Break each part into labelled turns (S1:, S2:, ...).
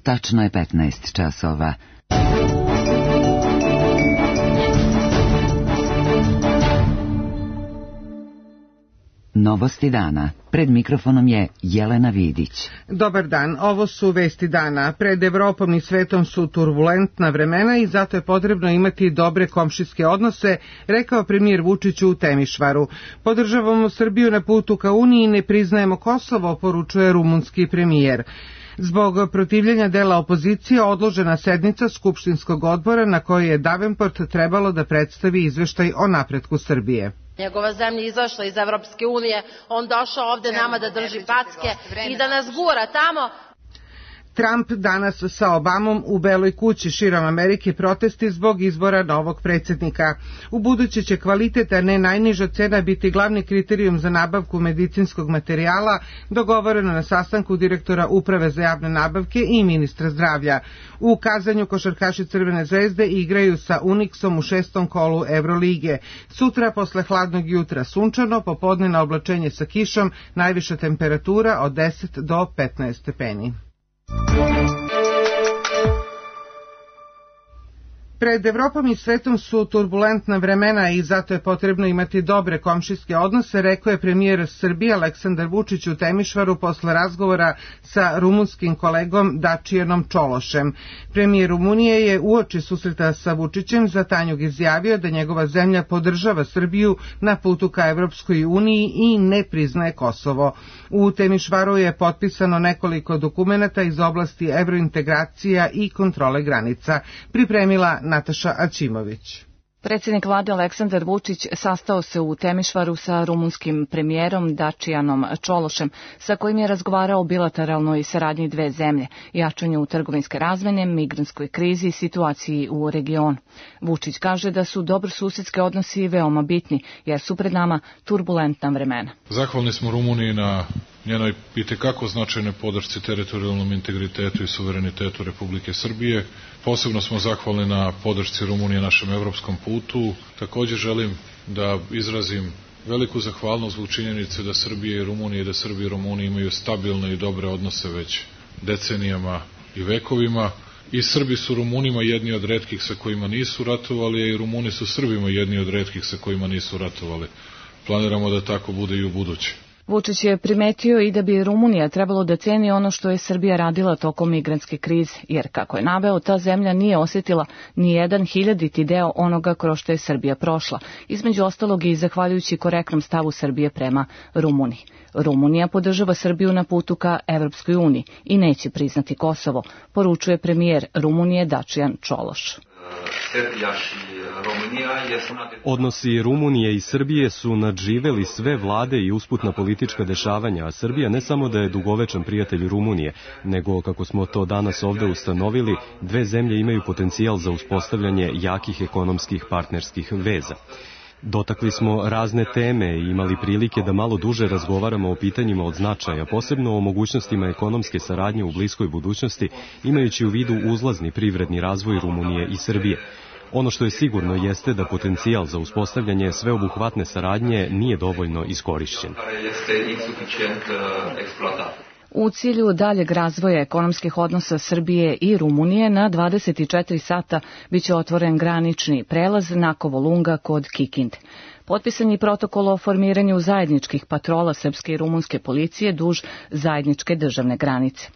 S1: Tačno je 15 časova. Novosti dana. Pred mikrofonom je Jelena Vidić.
S2: Dobar dan, ovo su vesti dana. Pred Evropom i svetom su turbulentna vremena i zato je potrebno imati dobre komšijske odnose, rekao premijer Vučić u Temišvaru. Podržavamo Srbiju na putu ka Uniji i ne priznajemo Kosovo, poručuje rumunski premijer. Zbog protivljenja dela opozicije odložena sednica Skupštinskog odbora na kojoj je Davenport trebalo da predstavi izveštaj o napretku Srbije.
S3: Njegova zemlja izašla iz Evropske unije, on došao ovde nama da drži packe i da nas gura tamo.
S2: Trump danas sa Obamom u Beloj kući širom Amerike protesti zbog izbora novog predsjednika. Ubuduće će kvalitet, a ne najniža cena biti glavni kriterijum za nabavku medicinskog materijala, dogovoreno na sastanku direktora Uprave za javne nabavke i ministra zdravlja. U Kazanju košarkaši Crvene zvezde igraju sa Unixom u 6. kolu Evrolige. Sutra posle hladnog jutra sunčano, popodne na oblačenje sa kišom, najviša temperatura od 10 do 15 stepeni. Pred Evropom i svetom su turbulentna vremena i zato je potrebno imati dobre komšijske odnose, rekao je premijer Srbije Aleksandar Vučić u Temišvaru posle razgovora sa rumunskim kolegom Dačijanom Čološem. Premijer Rumunije je uoči susreta sa Vučićem za Tanjug izjavio da njegova zemlja podržava Srbiju na putu ka Evropskoj uniji i ne priznaje Kosovo. U Temišvaru je potpisano nekoliko dokumenata iz oblasti evrointegracija i kontrole granica. Pripremila Nataša Aćimović.
S4: Predsjednik vlade Aleksandar Vučić sastao se u Temišvaru sa rumunskim premijerom Dačijanom Čološem, sa kojim je razgovarao o bilateralnoj saradnji dve zemlje, jačanju trgovinske razmene, migrantskoj krizi i situaciji u regionu. Vučić kaže da su dobrosusedski odnosi veoma bitni, jer su pred nama turbulentna vremena.
S5: Zahvalni smo Rumuniji na njenoj itekako značajnoj podršci teritorijalnom integritetu i suverenitetu Republike Srbije. Posebno smo zahvalni na podršci Rumunije našem evropskom putu. Također želim da izrazim veliku zahvalnost zbog činjenice da Srbija i Rumunija, da Srbija i Rumunija imaju stabilne i dobre odnose već decenijama i vekovima. I Srbi su Rumunima jedni od retkih sa kojima nisu ratovali, a i Rumuni su Srbima jedni od retkih sa kojima nisu ratovali. Planiramo da tako bude i u buduće.
S4: Vučić je primetio i da bi Rumunija trebalo da ceni ono što je Srbija radila tokom migrantske krize, jer kako je naveo, ta zemlja nije osjetila ni 1/1000 deo onoga kroz što je Srbija prošla, između ostalog i zahvaljujući korektnom stavu Srbije prema Rumuniji. Rumunija podržava Srbiju na putu ka Evropskoj uniji i neće priznati Kosovo, poručuje premijer Rumunije Dačijan Čološ.
S6: Odnosi Rumunije i Srbije su nadživeli sve vlade i usputna politička dešavanja, a Srbija ne samo da je dugovečan prijatelj Rumunije, nego, kako smo to danas ovde ustanovili, dve zemlje imaju potencijal za uspostavljanje jakih ekonomskih partnerskih veza. Dotakli smo razne teme i imali prilike da malo duže razgovaramo o pitanjima od značaja, posebno o mogućnostima ekonomske saradnje u bliskoj budućnosti, imajući u vidu uzlazni privredni razvoj Rumunije i Srbije. Ono što je sigurno jeste da potencijal za uspostavljanje sveobuhvatne saradnje nije dovoljno iskorišćen.
S4: U cilju daljeg razvoja ekonomskih odnosa Srbije i Rumunije na 24 sata biće otvoren granični prelaz Nakovo-Lunga kod Kikinde. Potpisan je protokol o formiranju zajedničkih patrola srpske i rumunske policije duž zajedničke državne granice.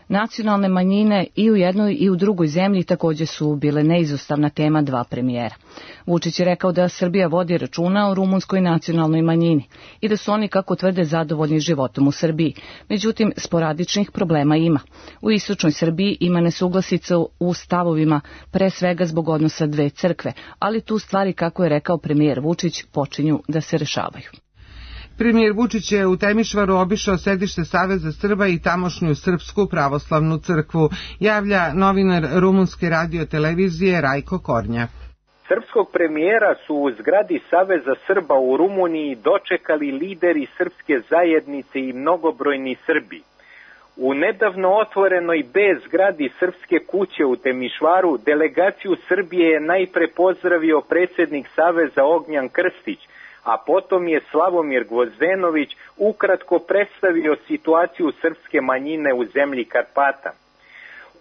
S4: Nacionalne manjine i u jednoj i u drugoj zemlji također su bile neizostavna tema dva premijera. Vučić je rekao da Srbija vodi računa o rumunskoj nacionalnoj manjini i da su oni, kako tvrde, zadovoljni životom u Srbiji. Međutim, sporadičnih problema ima. U istočnoj Srbiji ima nesuglasica u stavovima, pre svega zbog odnosa dve crkve, ali tu stvari, kako je rekao premijer Vučić, počinju da se rešavaju.
S2: Premijer Vučić je u Temišvaru obišao sedište Saveza Srba i tamošnju Srpsku pravoslavnu crkvu, javlja novinar rumunske radiotelevizije Rajko Kornjak.
S7: Srpskog premijera su u zgradi Saveza Srba u Rumuniji dočekali lideri srpske zajednice i mnogobrojni Srbi. U nedavno otvorenoj B zgradi Srpske kuće u Temišvaru delegaciju Srbije je najpre pozdravio predsjednik Saveza Ognjan Krstić, a potom je Slavomir Gvozdenović ukratko predstavio situaciju srpske manjine u zemlji Karpata.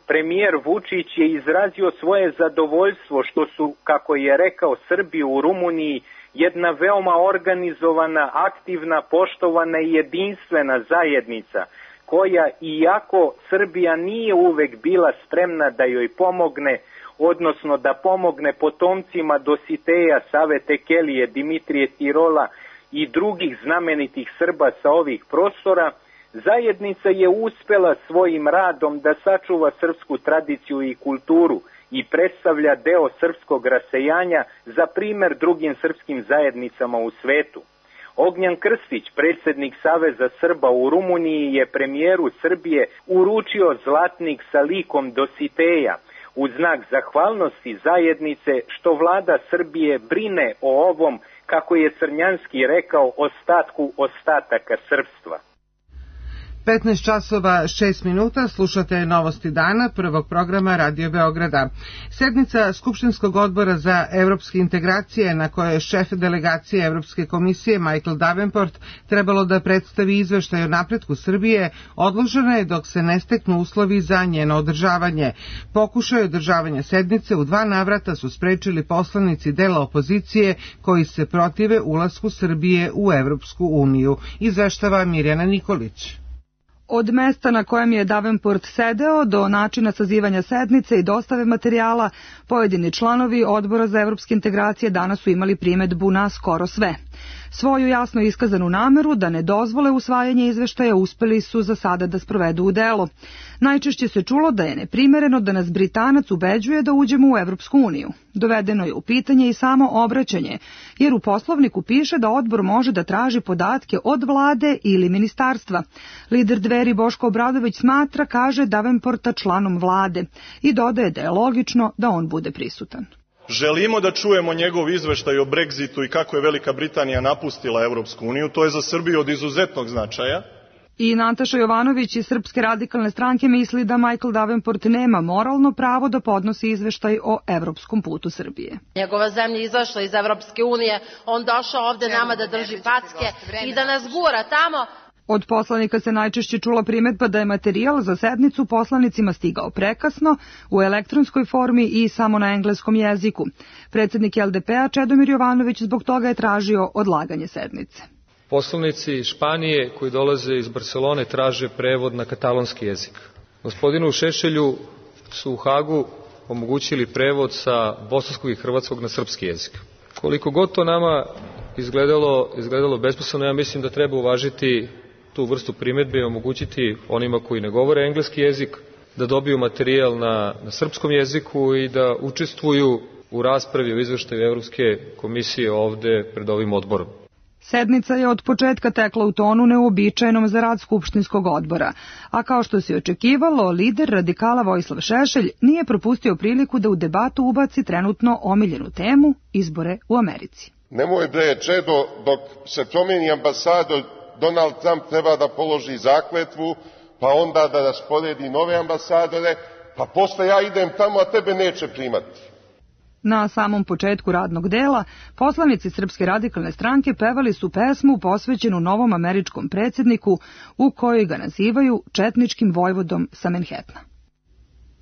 S7: Premijer Vučić je izrazio svoje zadovoljstvo što su, kako je rekao, Srbi u Rumuniji jedna veoma organizovana, aktivna, poštovana i jedinstvena zajednica, koja, iako Srbija nije uvek bila spremna da joj pomogne, odnosno da pomogne potomcima Dositeja, Save Tekelije, Dimitrije Tirola i drugih znamenitih Srba sa ovih prostora, zajednica je uspela svojim radom da sačuva srpsku tradiciju i kulturu i predstavlja deo srpskog rasejanja za primer drugim srpskim zajednicama u svetu. Ognjan Krstić, predsjednik Saveza Srba u Rumuniji, je premijeru Srbije uručio zlatnik sa likom Dositeja u znak zahvalnosti zajednice što vlada Srbije brine o ovom, kako je Crnjanski rekao, ostatku ostataka srpstva.
S2: 15 časova 6 minuta, slušate novosti dana prvog programa Radio Beograda. Sednica Skupštinskog odbora za evropske integracije, na kojoj je šef delegacije Evropske komisije Michael Davenport trebalo da predstavi izveštaj o napretku Srbije, odložena je dok se ne steknu uslovi za njeno održavanje. Pokušaj održavanja sednice u 2 navrata su sprečili poslanici dela opozicije koji se protive ulasku Srbije u Evropsku uniju, izveštava Mirjana Nikolić.
S8: Od mesta na kojem je Davenport sedeo do načina sazivanja sednice i dostave materijala, pojedini članovi Odbora za evropske integracije danas su imali primedbu na skoro sve. Svoju jasno iskazanu nameru da ne dozvole usvajanje izveštaja uspeli su za sada da sprovedu u delo. Najčešće se čulo da je neprimereno da nas Britanac ubeđuje da uđemo u Evropsku uniju. Dovedeno je u pitanje i samo obraćanje, jer u poslovniku piše da odbor može da traži podatke od vlade ili ministarstva. Lider Dveri Boško Obradović smatra, kaže, Davenporta članom vlade i dodaje da je logično da on bude prisutan.
S9: Želimo da čujemo njegov izveštaj o Brexitu i kako je Velika Britanija napustila Evropsku uniju. To je za Srbiju od izuzetnog značaja.
S8: I Nataša Jovanović iz Srpske radikalne stranke misli da Michael Davenport nema moralno pravo da podnosi izveštaj o evropskom putu Srbije.
S3: Njegova zemlja izašla iz Evropske unije, on došao ovde nama da drži packe i da nas gura tamo.
S8: Od poslanika se najčešće čula primedba da je materijal za sednicu poslanicima stigao prekasno, u elektronskoj formi i samo na engleskom jeziku. Predsjednik LDP-a Čedomir Jovanović zbog toga je tražio odlaganje sednice.
S10: Poslanici Španije koji dolaze iz Barcelone traže prevod na katalonski jezik. Gospodinu Šešelju su u Hagu omogućili prevod sa bosanskog i hrvatskog na srpski jezik. Koliko god to nama izgledalo besmisleno, ja mislim da treba uvažiti tu vrstu primedbe i omogućiti onima koji ne govore engleski jezik da dobiju materijal na srpskom jeziku i da učestvuju u raspravi o izveštaju Evropske komisije ovde pred ovim odborom.
S8: Sednica je od početka tekla u tonu neuobičajenom za rad Skupštinskog odbora, a kao što se očekivalo, lider radikala Vojislav Šešelj nije propustio priliku da u debatu ubaci trenutno omiljenu temu izbore u Americi.
S11: Nemoj bre, Čedo, dok se promijeni ambasador, Donald Trump treba da položi zakletvu, pa onda da rasporedi nove ambasadore, pa posle ja idem tamo, a tebe neće primati.
S8: Na samom početku radnog dela, poslanici Srpske radikalne stranke pevali su pesmu posvećenu novom američkom predsjedniku u kojoj ga nazivaju četničkim vojvodom sa Manhattana.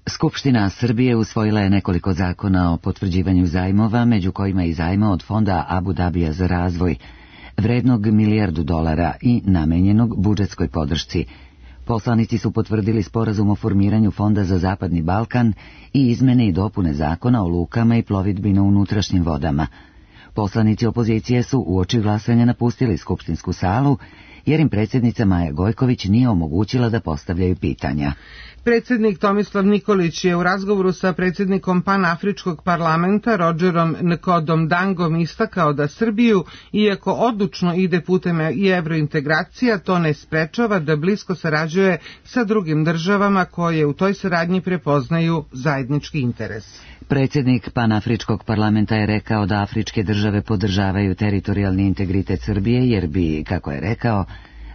S1: Skupština Srbije usvojila je nekoliko zakona o potvrđivanju zajmova, među kojima i zajma od fonda Abu Dabija za razvoj, vrednog $1 milijardu i namenjenog budžetskoj podršci. Poslanici su potvrdili sporazum o formiranju Fonda za Zapadni Balkan i izmene i dopune zakona o lukama i plovidbi na unutrašnjim vodama. Poslanici opozicije su uoči glasanja napustili skupštinsku salu, jer im predsjednica Maja Gojković nije omogućila da postavljaju pitanja.
S2: Predsjednik Tomislav Nikolić je u razgovoru sa predsjednikom Panafričkog parlamenta Rodžerom Nkodom Dangom istakao da Srbiju, iako odlučno ide putem i evrointegracija, to ne sprečava da blisko sarađuje sa drugim državama koje u toj saradnji prepoznaju zajednički interes.
S1: Predsjednik Panafričkog parlamenta je rekao da afričke države podržavaju teritorijalni integritet Srbije jer bi, kako je rekao,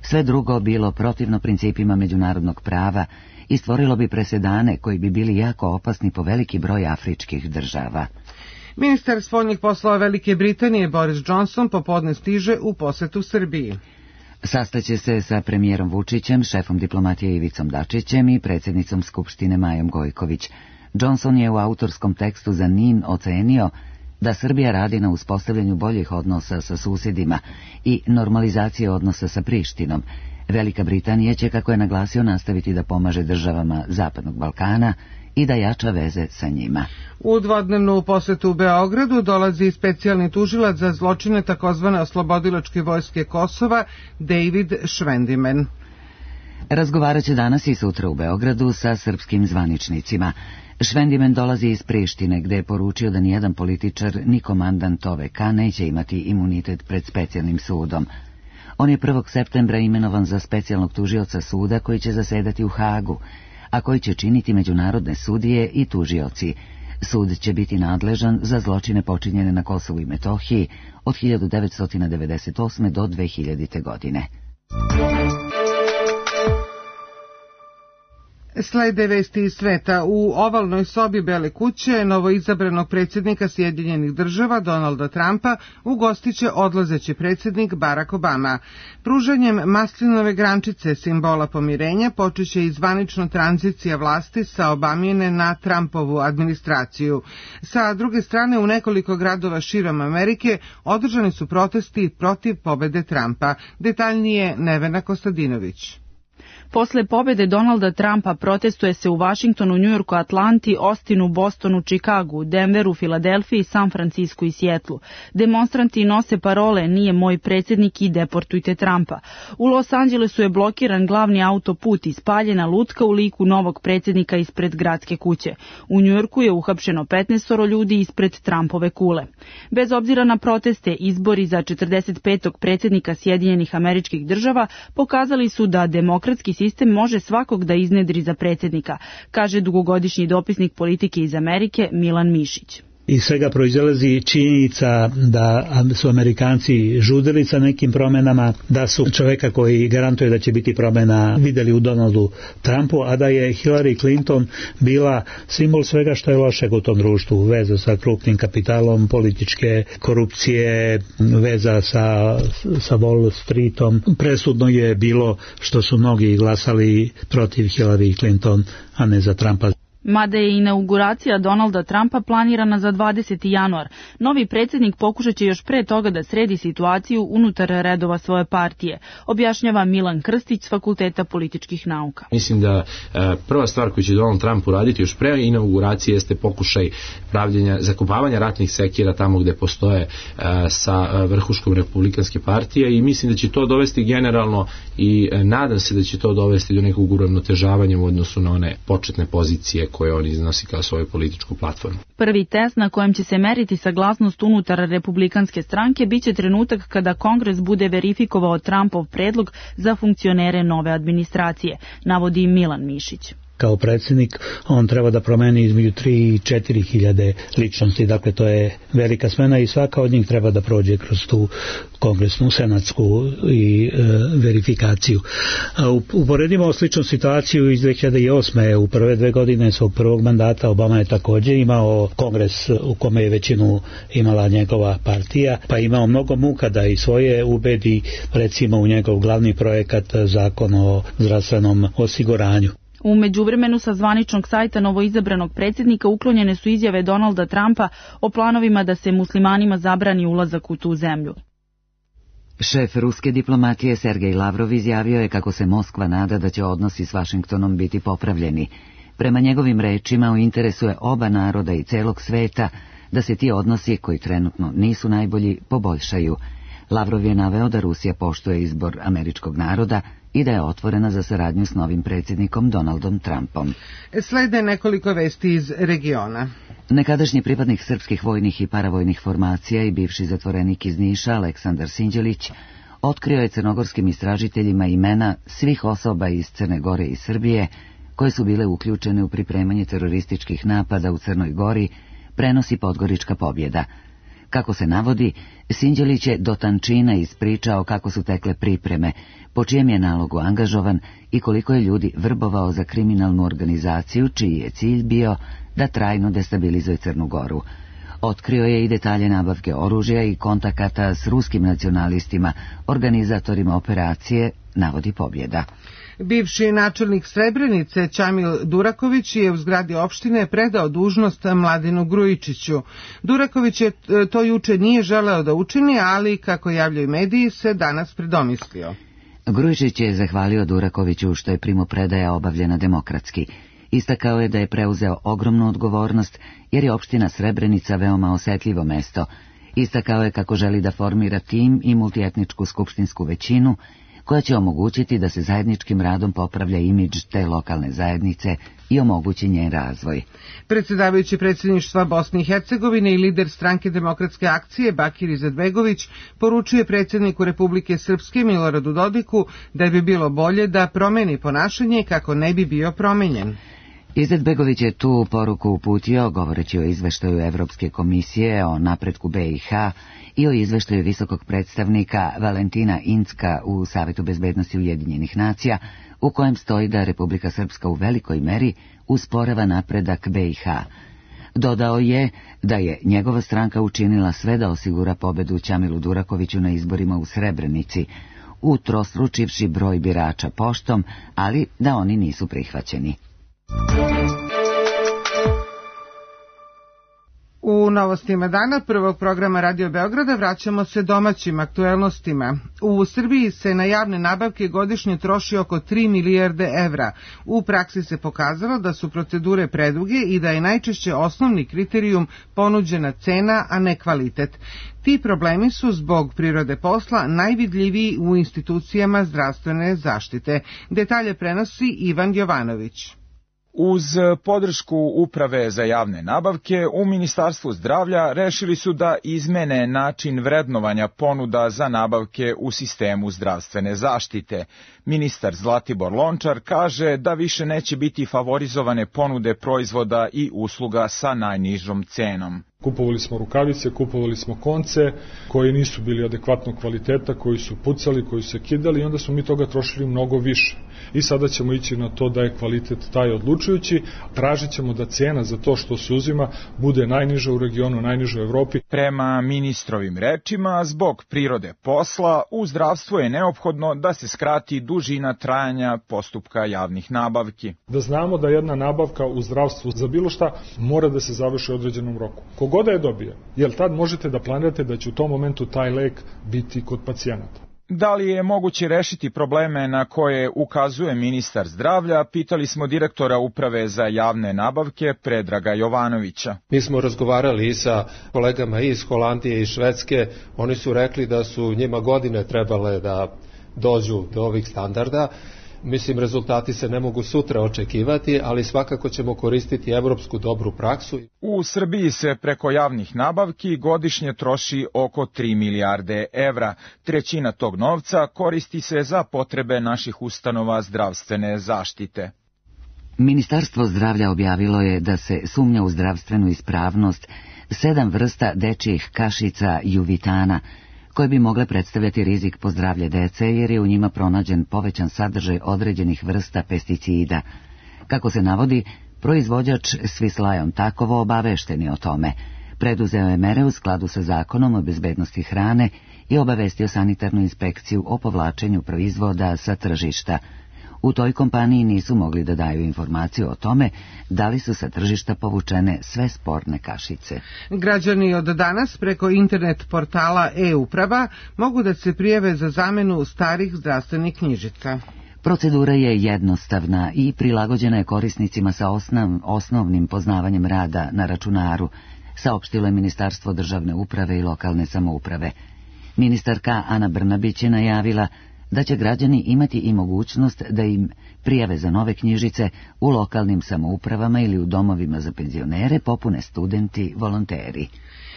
S1: sve drugo bilo protivno principima međunarodnog prava i stvorilo bi presedane koji bi bili jako opasni po veliki broj afričkih država.
S2: Ministar spoljnih poslova Velike Britanije Boris Johnson popodne stiže u posetu Srbiji.
S1: Sastaće se sa premijerom Vučićem, šefom diplomatije Ivicom Dačićem i predsjednicom Skupštine Majom Gojković. Johnson je u autorskom tekstu za NIN ocenio da Srbija radi na uspostavljanju boljih odnosa sa susjedima i normalizacije odnosa sa Prištinom. Velika Britanija će, kako je naglasio, nastaviti da pomaže državama Zapadnog Balkana i da jača veze sa njima.
S2: U dvodnevnu posetu u Beogradu dolazi specijalni tužilac za zločine takozvane oslobodilačke vojske Kosova, David Švendimen.
S1: Razgovarat će danas i sutra u Beogradu sa srpskim zvaničnicima. Švendimen dolazi iz Prištine, gde je poručio da nijedan političar ni komandant OVK neće imati imunitet pred specijalnim sudom. On je 1. septembra imenovan za specijalnog tužioca suda koji će zasedati u Hagu, a koji će činiti međunarodne sudije i tužioci. Sud će biti nadležan za zločine počinjene na Kosovu i Metohiji od 1998. do 2000. godine.
S2: Slede vesti iz sveta. U ovalnoj sobi Bele kuće novoizabranog predsjednika Sjedinjenih država Donalda Trumpa ugostiće odlazeći predsjednik Barack Obama. Pružanjem maslinove grančice, simbola pomirenja, počeće i zvanična tranzicija vlasti sa Obamine na Trumpovu administraciju. Sa druge strane, u nekoliko gradova širom Amerike održani su protesti protiv pobede Trumpa. Detaljnije Nevena Kostadinović.
S12: Posle pobede Donalda Trumpa protestuje se u Vašingtonu, Njujorku, Atlanti, Ostinu, Bostonu, Čikagu, Denveru, Filadelfiji, San Francisku i Sjetlu. Demonstranti nose parole "Nije moj predsjednik" i "Deportujte Trumpa". U Los Angelesu je blokiran glavni autoput i spaljena lutka u liku novog predsjednika ispred gradske kuće. U Njujorku je uhapšeno 15 ljudi ispred Trumpove kule. Bez obzira na proteste, izbori za 45. predsjednika Sjedinjenih Američkih Država pokazali su da demokratski sistem može svakog da iznedri za predsjednika, kaže dugogodišnji dopisnik politike iz Amerike Milan Mišić.
S13: Iz svega proizilazi činjenica da su Amerikanci žudili sa nekim promjenama, da su čovjeka koji garantuje da će biti promjena vidjeli u Donaldu Trumpu, a da je Hillary Clinton bila simbol svega što je lošeg u tom društvu, veza sa krupnim kapitalom, političke korupcije, veza sa Wall Streetom. Presudno je bilo što su mnogi glasali protiv Hillary Clinton, a ne za Trumpa.
S12: Mada je inauguracija Donalda Trumpa planirana za 20. januar, novi predsjednik pokušat će još pre toga da sredi situaciju unutar redova svoje partije, objašnjava Milan Krstić s Fakulteta političkih nauka.
S14: Mislim da prva stvar koju će Donald Trump uraditi još pre inauguracije jeste pokušaj zakopavanja ratnih sekira tamo gde postoje sa vrhuškom republikanske partije, i mislim da će to dovesti generalno, i nadam se da će to dovesti do nekog uravnotežavanja u odnosu na one početne pozicije koje on iznosi kao svoju političku platformu.
S12: Prvi test na kojem će se meriti saglasnost unutar republikanske stranke biće trenutak kada Kongres bude verifikovao Trumpov predlog za funkcionere nove administracije, navodi Milan Mišić.
S13: Kao predsjednik on treba da promeni između 3 i 4 hiljade ličnosti, dakle to je velika smena i svaka od njih treba da prođe kroz tu kongresnu, senatsku i verifikaciju. Uporedimo sličnu situaciju iz 2008. U prve 2 godine svog prvog mandata Obama je također imao kongres u kome je većinu imala njegova partija, pa je imao mnogo muka da i svoje ubedi, recimo u njegov glavni projekat, zakon o zdravstvenom osiguranju.
S12: U međuvremenu sa zvaničnog sajta novoizabranog predsjednika uklonjene su izjave Donalda Trumpa o planovima da se muslimanima zabrani ulazak u tu zemlju.
S1: Šef ruske diplomatije Sergej Lavrov izjavio je kako se Moskva nada da će odnosi s Vašingtonom biti popravljeni. Prema njegovim rečima, u interesu je oba naroda i celog sveta da se ti odnosi, koji trenutno nisu najbolji, poboljšaju. Lavrov je naveo da Rusija poštuje izbor američkog naroda i da je otvorena za saradnju s novim predsjednikom Donaldom Trumpom.
S2: Slede nekoliko vesti iz regiona.
S1: Nekadašnji pripadnik srpskih vojnih i paravojnih formacija i bivši zatvorenik iz Niša, Aleksandar Sinđelić, otkrio je crnogorskim istražiteljima imena svih osoba iz Crne Gore i Srbije koje su bile uključene u pripremanje terorističkih napada u Crnoj Gori, prenosi Podgorička pobjeda. Kako se navodi, Sinđelić je do tančina ispričao kako su tekle pripreme, po čijem je nalogu angažovan i koliko je ljudi vrbovao za kriminalnu organizaciju čiji je cilj bio da trajno destabilizuje Crnu Goru. Otkrio je i detalje nabavke oružja i kontakata s ruskim nacionalistima, organizatorima operacije, navodi Pobjeda.
S2: Bivši načelnik Srebrenice Ćamil Duraković je u zgradi opštine predao dužnost Mladenu Grujičiću. Duraković je to juče nije želeo da učini, ali, kako javljaju mediji, se danas predomislio.
S1: Grujičić je zahvalio Durakoviću što je primopredaja obavljena demokratski. Istakao je da je preuzeo ogromnu odgovornost, jer je opština Srebrenica veoma osetljivo mesto. Istakao je kako želi da formira tim i multietničku skupštinsku većinu, koja će omogućiti da se zajedničkim radom popravlja imidž te lokalne zajednice i omogući njen razvoj.
S2: Predsjedavajući predsjedništva Bosne i Hercegovine i lider stranke Demokratske akcije Bakir Izetbegović poručuje predsjedniku Republike Srpske Miloradu Dodiku da bi bilo bolje da promeni ponašanje kako ne bi bio promenjen.
S1: Izetbegović je tu poruku uputio govoreći o izveštaju Evropske komisije o napretku BiH i o izveštaju visokog predstavnika Valentina Incka u Savetu bezbednosti Ujedinjenih nacija, u kojem stoji da Republika Srpska u velikoj meri usporava napredak BiH. Dodao je da je njegova stranka učinila sve da osigura pobedu Ćamilu Durakoviću na izborima u Srebrenici, utrostručivši broj birača poštom, ali da oni nisu prihvaćeni.
S2: U novostima dana prvog programa Radio Beograda vraćamo se domaćim aktuelnostima. U Srbiji se na javne nabavke godišnje troši oko 3 milijarde evra. U praksi se pokazalo da su procedure preduge i da je najčešće osnovni kriterijum ponuđena cena, a ne kvalitet. Ti problemi su zbog prirode posla najvidljiviji u institucijama zdravstvene zaštite. Detalje prenosi Ivan Jovanović.
S15: Uz podršku Uprave za javne nabavke, u Ministarstvu zdravlja rešili su da izmene način vrednovanja ponuda za nabavke u sistemu zdravstvene zaštite. Ministar Zlatibor Lončar kaže da više neće biti favorizovane ponude proizvoda i usluga sa najnižom cenom.
S16: Kupovali smo rukavice, kupovali smo konce koji nisu bili adekvatnog kvaliteta, koji su pucali, koji su se kidali i onda smo mi toga trošili mnogo više. I sada ćemo ići na to da je kvalitet taj odlučujući, tražit ćemo da cena za to što se uzima bude najniža u regionu, najniža u Evropi.
S15: Prema ministrovim rečima, zbog prirode posla, u zdravstvu je neophodno da se skrati dužina trajanja postupka javnih nabavki.
S16: Da znamo da jedna nabavka u zdravstvu za bilo šta mora da se završi u određenom roku. Kogoda je dobije, jer tad možete da planirate da će u tom momentu taj lek biti kod pacijenata.
S15: Da li je moguće rešiti probleme na koje ukazuje ministar zdravlja, pitali smo direktora Uprave za javne nabavke Predraga Jovanovića.
S17: Mi smo razgovarali i sa kolegama iz Holandije i Švedske, oni su rekli da su njima godine trebale da dođu do ovih standarda. Mislim, rezultati se ne mogu sutra očekivati, ali svakako ćemo koristiti evropsku dobru praksu.
S15: U Srbiji se preko javnih nabavki godišnje troši oko 3 milijarde evra. Trećina tog novca koristi se za potrebe naših ustanova zdravstvene zaštite.
S1: Ministarstvo zdravlja objavilo je da se sumnja u zdravstvenu ispravnost 7 vrsta dečjih kašica Juvitana, koje bi mogle predstavljati rizik po zdravlje dece jer je u njima pronađen povećan sadržaj određenih vrsta pesticida. Kako se navodi, proizvođač Swiss Lion Takovo obavešten je o tome. Preduzeo je mere u skladu sa zakonom o bezbednosti hrane i obavestio sanitarnu inspekciju o povlačenju proizvoda sa tržišta. U toj kompaniji nisu mogli da daju informaciju o tome da li su sa tržišta povučene sve sporne kašice.
S2: Građani od danas preko internet portala e-uprava mogu da se prijave za zamenu starih zdravstvenih knjižica.
S1: Procedura je jednostavna i prilagođena je korisnicima sa osnovnim poznavanjem rada na računaru, saopštilo je Ministarstvo državne uprave i lokalne samouprave. Ministarka Ana Brnabić je najavila da će građani imati i mogućnost da im prijave za nove knjižice u lokalnim samoupravama ili u domovima za penzionere popune studenti, volonteri.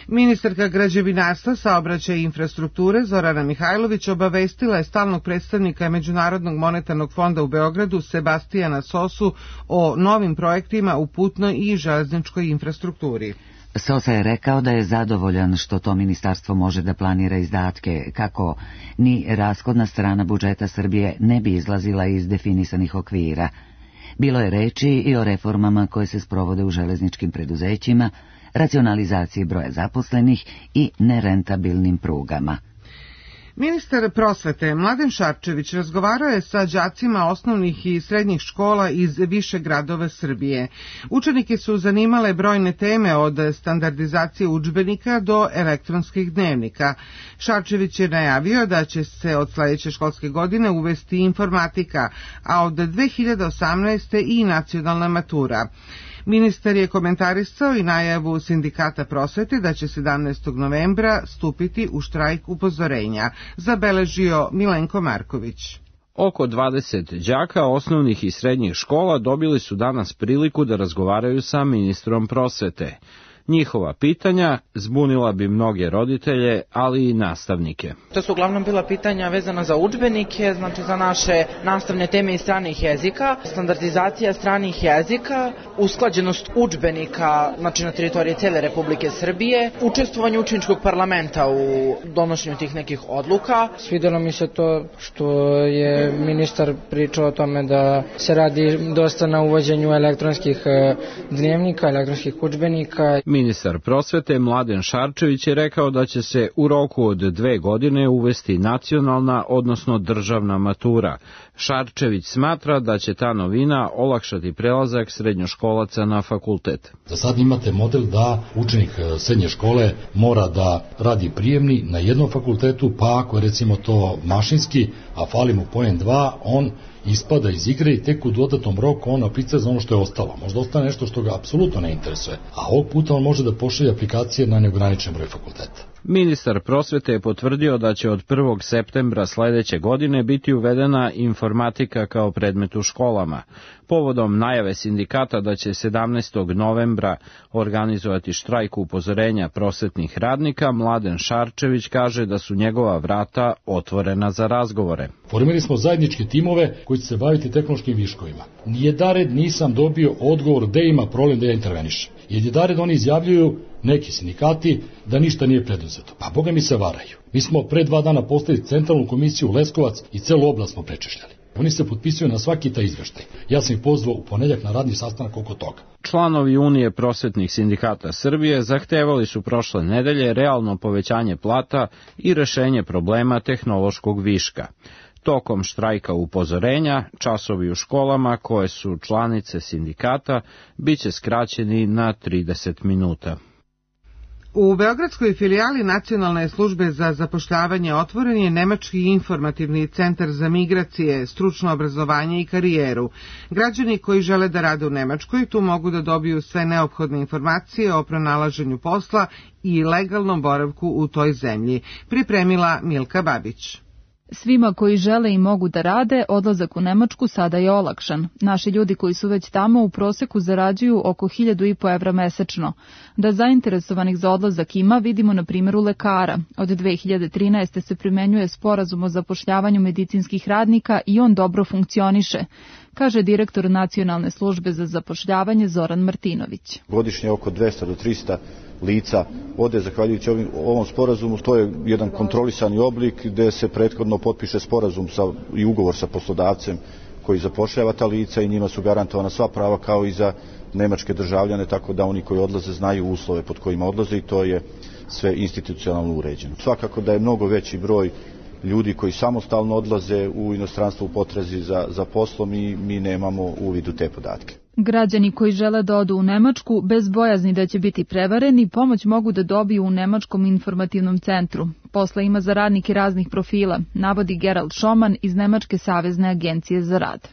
S2: Ministarka građevinarstva, saobraćaja i infrastrukture Zorana Mihajlović obavestila je stalnog predstavnika Međunarodnog monetarnog fonda u Beogradu Sebastijana Sosu o novim projektima u putnoj i železničkoj infrastrukturi.
S1: Sosa je rekao da je zadovoljan što to ministarstvo može da planira izdatke, kako ni rashodna strana budžeta Srbije ne bi izlazila iz definisanih okvira. Bilo je reči i o reformama koje se sprovode u železničkim preduzećima, racionalizaciji broja zaposlenih i nerentabilnim prugama.
S2: Ministar prosvete Mladen Šarčević razgovarao je sa đacima osnovnih i srednjih škola iz više gradova Srbije. Učenike su zanimale brojne teme od standardizacije udžbenika do elektronskih dnevnika. Šarčević je najavio da će se od sledeće školske godine uvesti informatika, a od 2018. i nacionalna matura. Ministar je komentarisao i najavu Sindikata prosvete da će 17. novembra stupiti u štrajk upozorenja, zabeležio Milenko Marković.
S18: Oko 20 đaka osnovnih i srednjih škola dobili su danas priliku da razgovaraju sa ministrom prosvete. Njihova pitanja zbunila bi mnoge roditelje, ali i nastavnike.
S19: To su uglavnom bila pitanja vezana za udžbenike, znači za naše nastavne teme iz stranih jezika, standardizacija stranih jezika, usklađenost udžbenika, znači na teritoriji cele Republike Srbije, učestvovanje učeničkog parlamenta u donošenju tih nekih odluka.
S20: Svidelo mi se to što je ministar pričao o tome da se radi dosta na uvođenju elektronskih dnevnika, elektronskih udžbenika.
S18: Ministar prosvete Mladen Šarčević je rekao da će se u roku od 2 godine uvesti nacionalna, odnosno državna matura. Šarčević smatra da će ta novina olakšati prelazak srednjoškolaca na fakultet.
S21: Za sad imate model da učenik srednje škole mora da radi prijemni na jednom fakultetu, pa ako je recimo to mašinski, a fali mu poen 2, on ispada iz igre i tek u dodatnom roku on aplica za ono što je ostalo. Možda ostane nešto što ga apsolutno ne interesuje, a ovog puta on može da pošalje aplikacije na neograničen broj fakulteta.
S18: Ministar prosvete je potvrdio da će od 1. septembra sledeće godine biti uvedena informatika kao predmet u školama. Povodom najave sindikata da će 17. novembra organizovati štrajk upozorenja prosvetnih radnika, Mladen Šarčević kaže da su njegova vrata otvorena za razgovore.
S21: Formirali smo zajedničke timove koji će se baviti tehnološkim viškovima. Nijedared nisam dobio odgovor gde ima problem da ja intervenišem. Jedared oni izjavljuju, neki sindikati, da ništa nije preduzeto. Pa boga mi se varaju. Mi smo pre 2 dana postavili centralnu komisiju u Leskovac i celu oblast smo prečešljali. Oni se potpisuju na svaki taj izveštaj. Ja sam ih pozvao u ponedeljak na radni sastanak oko toga.
S18: Članovi Unije prosvetnih sindikata Srbije zahtevali su prošle nedelje realno povećanje plata i rešenje problema tehnološkog viška. Tokom štrajka upozorenja, časovi u školama koje su članice sindikata biće skraćeni na 30 minuta.
S2: U beogradskoj filijali Nacionalne službe za zapošljavanje otvoren je Nemački informativni centar za migracije, stručno obrazovanje i karijeru. Građani koji žele da rade u Nemačkoj tu mogu da dobiju sve neophodne informacije o pronalaženju posla i legalnom boravku u toj zemlji, pripremila Milka Babić.
S22: Svima koji žele i mogu da rade, odlazak u Nemačku sada je olakšan. Naši ljudi koji su već tamo u proseku zarađuju oko 1.500 evra mesečno. Da zainteresovanih za odlazak ima, vidimo na primjeru lekara. Od 2013. se primenjuje sporazum o zapošljavanju medicinskih radnika i on dobro funkcioniše, kaže direktor Nacionalne službe za zapošljavanje Zoran Martinović.
S23: Godišnje oko 200 do 300 lica ode zahvaljujući ovom sporazumu. To je jedan kontrolisani oblik gde se prethodno potpiše sporazum i ugovor sa poslodavcem koji zapošljava ta lica i njima su garantovana sva prava kao i za nemačke državljane, tako da oni koji odlaze znaju uslove pod kojima odlaze i to je sve institucionalno uređeno. Svakako da je mnogo veći broj ljudi koji samostalno odlaze u inostranstvo u potrazi za poslom i mi nemamo uvid u te podatke.
S22: Građani koji žele da odu u Nemačku bez bojazni da će biti prevareni, pomoć mogu da dobiju u Nemačkom informativnom centru. Posla ima za radnike raznih profila, navodi Gerald Schoman iz Nemačke savezne agencije za rad.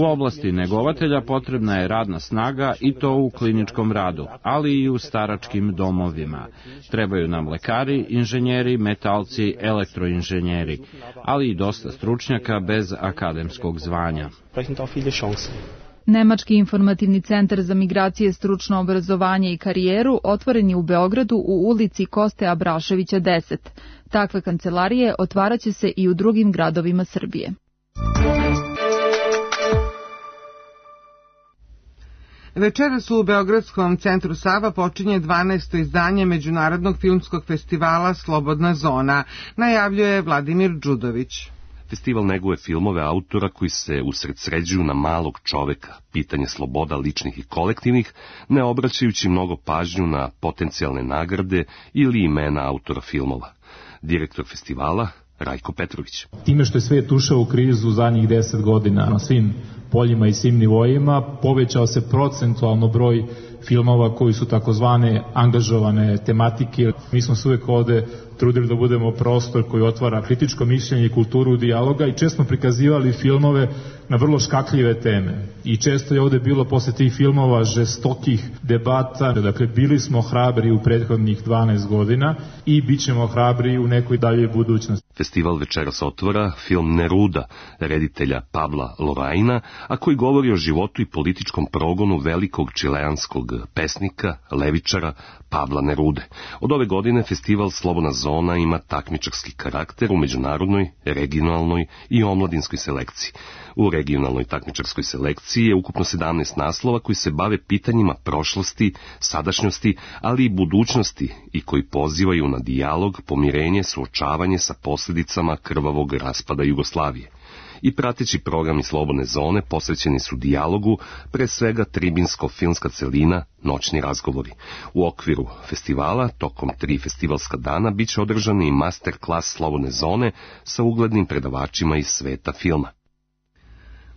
S18: U oblasti negovatelja potrebna je radna snaga i to u kliničkom radu, ali i u staračkim domovima. Trebaju nam lekari, inženjeri, metalci, elektroinženjeri, ali i dosta stručnjaka bez akademskog zvanja.
S22: Nemački informativni centar za migracije, stručno obrazovanje i karijeru otvoren je u Beogradu u ulici Koste Abraševića 10. Takve kancelarije otvaraće se i u drugim gradovima Srbije.
S2: Večeras u Beogradskom centru Sava počinje 12. izdanje Međunarodnog filmskog festivala Slobodna zona, najavljuje Vladimir Đudović.
S4: Festival neguje filmove autora koji se usredsređuju na malog čoveka, pitanje sloboda ličnih i kolektivnih, ne obraćajući mnogo pažnju na potencijalne nagrade ili imena autora filmova. Direktor festivala Rajko Petrović.
S5: Time što je svijet ušao u krizu zadnjih 10 godina na svim poljima i svim nivoima, povećao se procentualno broj filmova koji su takozvane angažovane tematike. Mi smo se uvek ovde trudili da budemo prostor koji otvara kritičko mišljenje i kulturu dijaloga i često prikazivali filmove na vrlo škakljive teme. I često je ovde bilo posle tih filmova žestokih debata. Dakle, bili smo hrabri u prethodnih 12 godina i bit ćemo hrabri u nekoj daljoj budućnosti.
S4: Festival večeras otvara film Neruda, reditelja Pabla Larraína, a koji govori o životu i političkom progonu velikog čileanskog pesnika, levičara Pabla Nerude. Od ove godine festival Slobodna zona ima takmičarski karakter u međunarodnoj, regionalnoj i omladinskoj selekciji. U regionalnoj takmičarskoj selekciji je ukupno 17 naslova koji se bave pitanjima prošlosti, sadašnjosti, ali i budućnosti i koji pozivaju na dijalog, pomirenje, suočavanje sa posljedicama krvavog raspada Jugoslavije. I prateći programi Slobodne zone posvećeni su dijalogu, pre svega tribinsko-filmska celina, noćni razgovori. U okviru festivala, tokom 3 festivalska dana, bit će održani i master klas Slobodne zone sa uglednim predavačima iz sveta filma.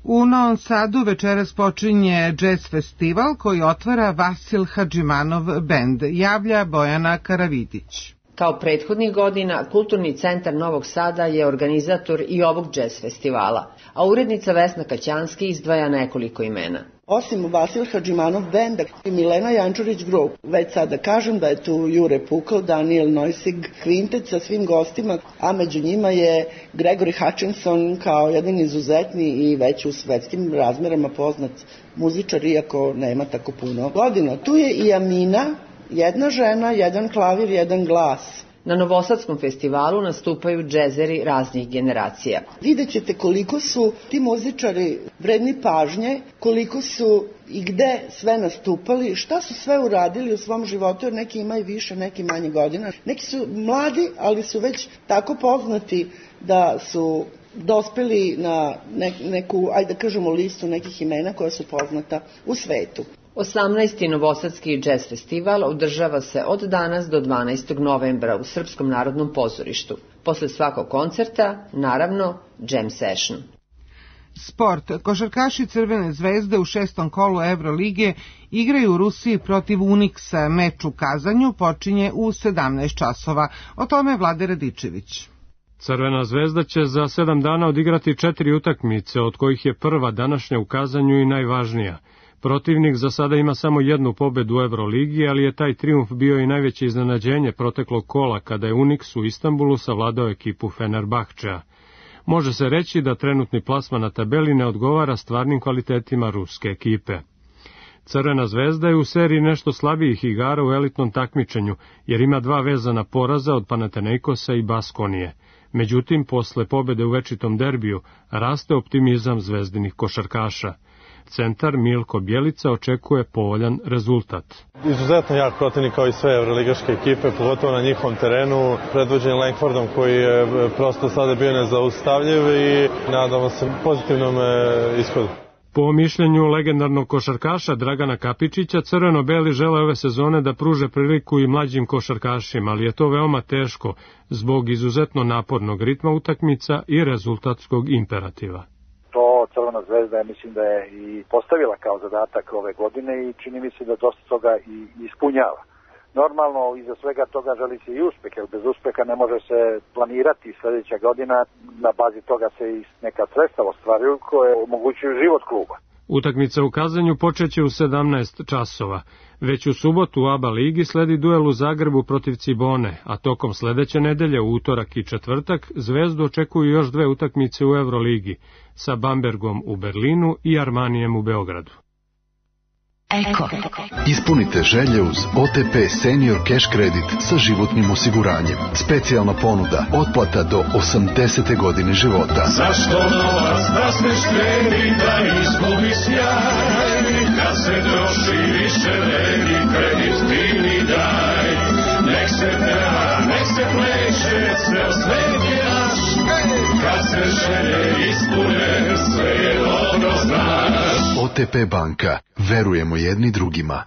S2: U Novom Sadu večeras počinje jazz festival koji otvara Vasil Hadžimanov bend, javlja Bojana Karavidić.
S6: Kao prethodnih godina, Kulturni centar Novog Sada je organizator i ovog jazz festivala, a urednica Vesna Kaćanski izdvaja nekoliko imena.
S24: Osim Vasil Hadžimanov benda i Milena Jančurić Group, već sada kažem da je tu Jure Pukl, Daniel Neusig, kvintet sa svim gostima, a među njima je Gregory Hutchinson kao jedan izuzetni i već u svetskim razmerama poznat muzičar, iako nema tako puno godina. Tu je i Amina, jedna žena, jedan klavir, jedan glas.
S6: Na Novosadskom festivalu nastupaju džezeri raznih generacija.
S24: Vidjet ćete koliko su ti muzičari vredni pažnje, koliko su i gde sve nastupali, šta su sve uradili u svom životu, jer neki imaju više, neki manje godina. Neki su mladi, ali su već tako poznati da su dospeli na neku, ajde da kažemo, listu nekih imena koja su poznata u svetu.
S6: 18. Novosadski jazz festival održava se od danas do 12. novembra u Srpskom narodnom pozorištu. Posle svakog koncerta, naravno, jam session.
S2: Sport. Košarkaši Crvene zvezde u 6. kolu Evrolige igraju u Rusiji protiv Uniksa. Meč u Kazanju počinje u 17 časova. O tome Vlade Radičević.
S25: Crvena zvezda će za 7 dana odigrati 4 utakmice, od kojih je prva današnja u Kazanju i najvažnija. Protivnik za sada ima samo jednu pobedu u Evroligi, ali je taj trijumf bio i najveće iznenađenje proteklog kola kada je Uniks u Istanbulu savladao ekipu Fenerbahčea. Može se reći da trenutni plasman na tabeli ne odgovara stvarnim kvalitetima ruske ekipe. Crvena zvezda je u seriji nešto slabijih igara u elitnom takmičenju, jer ima 2 vezana poraza od Panathinaikosa i Baskonije. Međutim, posle pobede u večitom derbiju, raste optimizam zvezdinih košarkaša. Centar Milko Bjelica očekuje povoljan rezultat.
S26: Izuzetno jak protivnik kao i sve evroligaške ekipe, pogotovo na njihovom terenu, predvođen Langfordom koji je prosto sada bio nezaustavljiv i nadamo se pozitivnom ishodu.
S25: Po mišljenju legendarnog košarkaša Dragana Kapičića, crveno-beli žele ove sezone da pruže priliku i mlađim košarkašima, ali je to veoma teško zbog izuzetno napornog ritma utakmica i rezultatskog imperativa.
S27: Crvena zvezda, ja mislim da je i postavila kao zadatak ove godine i čini mi se da dosta toga i ispunjava. Normalno, iza svega toga želi se i uspeh, jer bez uspeha ne može se planirati sljedeća godina, na bazi toga se i neka sredstva ostvaruju koje omogućuju život kluba.
S25: Utakmica u Kazanju počeće u 17 časova. Već u subotu u ABA ligi sledi duel u Zagrebu protiv Cibone, a tokom sledeće nedelje u utorak i četvrtak Zvezdu očekuju još 2 utakmice u Evroligi, sa Bambergom u Berlinu i Armanijem u Beogradu.
S28: Eko. Ispunite želje uz OTP Senior Cash Credit sa životnim osiguranjem. Specijalna ponuda, otplata do 80. godine života.
S29: Zašto novac da se štedi, da izgubi sjaj? Kad se troši više vredi, kredit ti mi daj. Nek se peva, nek se pleše, ceo svet je naš. Kad se želje ispune, sve je dobro znaš.
S28: OTP banka. Verujemo jedni drugima.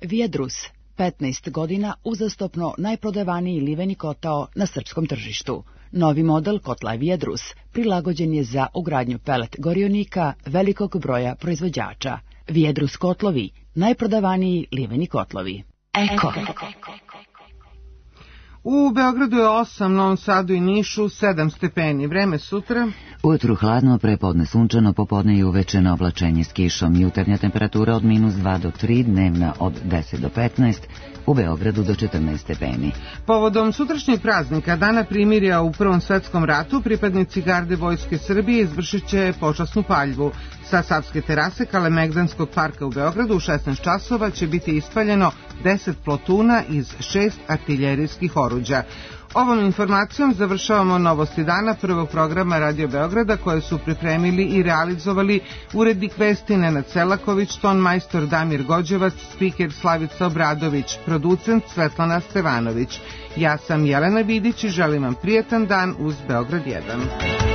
S3: Vijedrus. 15 godina uzastopno najprodavaniji liveni kotao na srpskom tržištu. Novi model kotla Vijedrus prilagođen je za ugradnju pelet gorionika velikog broja proizvođača. Vijedrus kotlovi, najprodavaniji liveni kotlovi. Eko.
S2: U Beogradu je 8, Novom Sadu i Nišu 7 stepeni. Vreme sutra.
S1: Ujutru hladno, prepodne sunčano, popodne i uveče na oblačenje s kišom. Jutarnja temperatura od -2 do 3, dnevna od 10 do 15, u Beogradu do 14 stepeni.
S2: Povodom sutrašnjeg praznika, Dana primirja u Prvom svetskom ratu, pripadnici garde Vojske Srbije izvršit će počasnu paljbu. Sa Savske terase Kalemegdanskog parka u Beogradu u 16 časova će biti ispaljeno 10 plotuna iz 6 artiljerijskih oruđa. Ovom informacijom završavamo novosti dana prvog programa Radio Beograda koje su pripremili i realizovali urednik vesti Nenad Selaković, ton majstor Damir Gođevac, spiker Slavica Obradović, producent Svetlana Stevanović. Ja sam Jelena Vidić i želim vam prijetan dan uz Beograd 1.